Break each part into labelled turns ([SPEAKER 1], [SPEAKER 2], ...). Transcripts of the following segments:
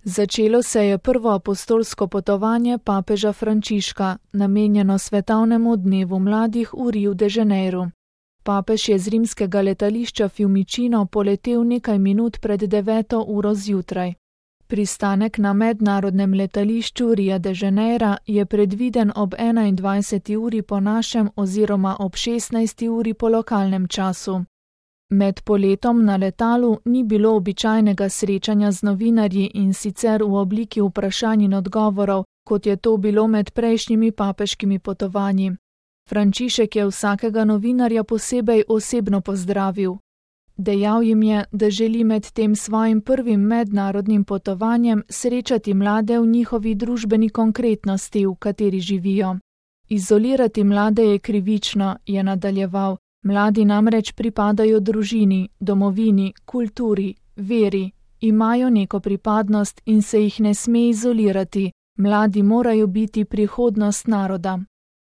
[SPEAKER 1] Začelo se je prvo apostolsko potovanje papeža Frančiška, namenjeno svetovnemu dnevu mladih v Riu de Janeiro. Papež je z rimskega letališča Fiumicino poletel nekaj minut pred 9. uro zjutraj. Pristanek na mednarodnem letališču Ria de Janeira je predviden ob 21. uri po našem oziroma ob 16. uri po lokalnem času. Med poletom na letalu ni bilo običajnega srečanja z novinarji in sicer v obliki vprašanj in odgovorov, kot je to bilo med prejšnjimi papeškimi potovanji. Frančišek je vsakega novinarja posebej osebno pozdravil. Dejal jim je, da želi med tem svojim prvim mednarodnim potovanjem srečati mlade v njihovi družbeni konkretnosti, v kateri živijo. Izolirati mlade je krivično, je nadaljeval. Mladi namreč pripadajo družini, domovini, kulturi, veri, imajo neko pripadnost in se jih ne sme izolirati. Mladi morajo biti prihodnost naroda.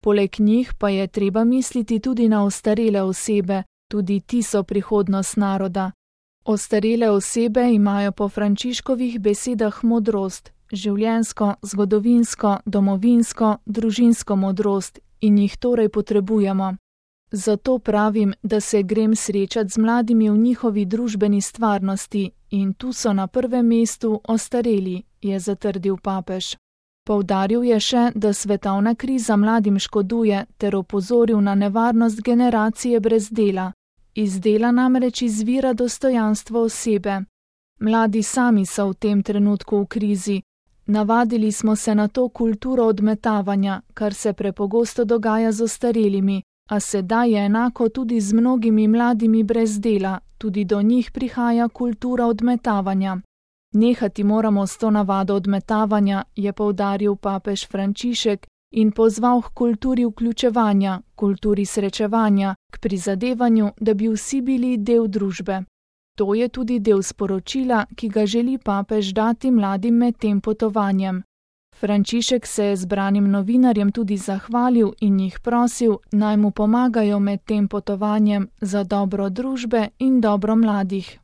[SPEAKER 1] Poleg njih pa je treba misliti tudi na ostarele osebe, tudi ti so prihodnost naroda. Ostarele osebe imajo po Frančiškovih besedah modrost, življenjsko, zgodovinsko, domovinsko, družinsko modrost in jih torej potrebujemo. Zato pravim, da se grem srečati z mladimi v njihovi družbeni stvarnosti in tu so na prvem mestu ostareli, je zatrdil papež. Poudaril je še, da svetovna kriza mladim škoduje ter opozoril na nevarnost generacije brez dela. Iz dela namreč izvira dostojanstvo osebe. Mladi sami so v tem trenutku v krizi. Navadili smo se na to kulturo odmetavanja, kar se prepogosto dogaja z ostarelimi, a sedaj je enako tudi z mnogimi mladimi brez dela, tudi do njih prihaja kultura odmetavanja. Nehati moramo s to navado odmetavanja, je poudaril papež Frančišek in pozval k kulturi vključevanja, kulturi srečevanja, k prizadevanju, da bi vsi bili del družbe. To je tudi del sporočila, ki ga želi papež dati mladim med tem potovanjem. Frančišek se je zbranim novinarjem tudi zahvalil in jih prosil, naj mu pomagajo med tem potovanjem za dobro družbe in dobro mladih.